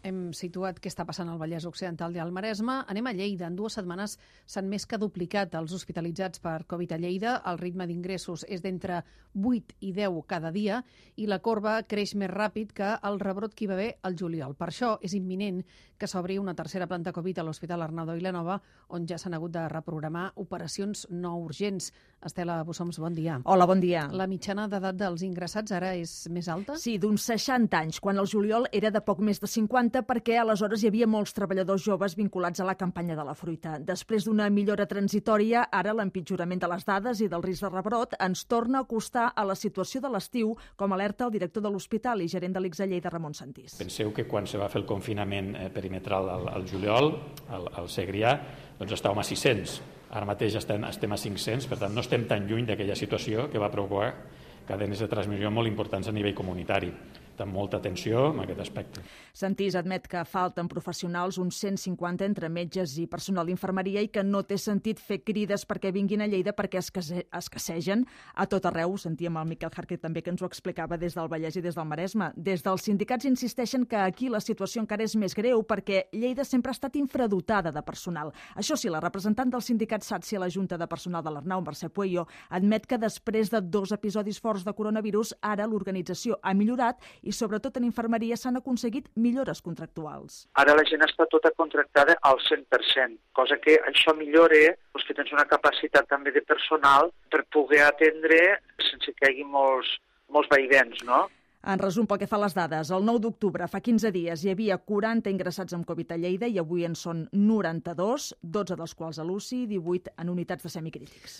Hem situat què està passant al Vallès Occidental i al Maresme. Anem a Lleida. En 2 setmanes s'han més que duplicat els hospitalitzats per Covid a Lleida. El ritme d'ingressos és d'entre 8 i 10 cada dia i la corba creix més ràpid que el rebrot que hi va haver al juliol. Per això és imminent que s'obri una tercera planta Covid a l'Hospital Arnau de Vilanova, on ja s'han hagut de reprogramar operacions no urgents. Estela Bussoms, bon dia. Hola, bon dia. La mitjana d'edat dels ingressats ara és més alta? Sí, d'uns 60 anys, quan el juliol era de poc més de 50, perquè aleshores hi havia molts treballadors joves vinculats a la campanya de la fruita. Després d'una millora transitòria, ara l'empitjorament de les dades i del risc de rebrot ens torna a acostar a la situació de l'estiu, com alerta el director de l'hospital i gerent de l'ICS a Lleida, Ramon Santís. Penseu que quan se va fer el confinament perimetral al juliol, al Segrià, doncs estàvem a 600. Ara mateix estem a 500, per tant no estem tan lluny d'aquella situació que va provocar cadenes de transmissió molt importants a nivell comunitari. Amb molta atenció en aquest aspecte. Santís admet que falten professionals, uns 150 entre metges i personal d'infermeria, i que no té sentit fer crides perquè vinguin a Lleida perquè escassegen a tot arreu. Sentíem el Miquel Jarque també que ens ho explicava des del Vallès i des del Maresme. Des dels sindicats insisteixen que aquí la situació encara és més greu perquè Lleida sempre ha estat infradotada de personal. Això sí, la representant del sindicat SATSI a la Junta de Personal de l'Arnau, Mercè Pueyo, admet que després de 2 episodis forts de coronavirus, ara l'organització ha millorat i sobretot en infermeria s'han aconseguit millores contractuals. Ara la gent està tota contractada al 100%, cosa que això millora que tens una capacitat també de personal per poder atendre sense que hi hagi molts vaivens, no? En resum, pel que fa a les dades, el 9 d'octubre, fa 15 dies, hi havia 40 ingressats amb Covid a Lleida i avui en són 92, 12 dels quals a l'UCI i 18 en unitats de semicrítics.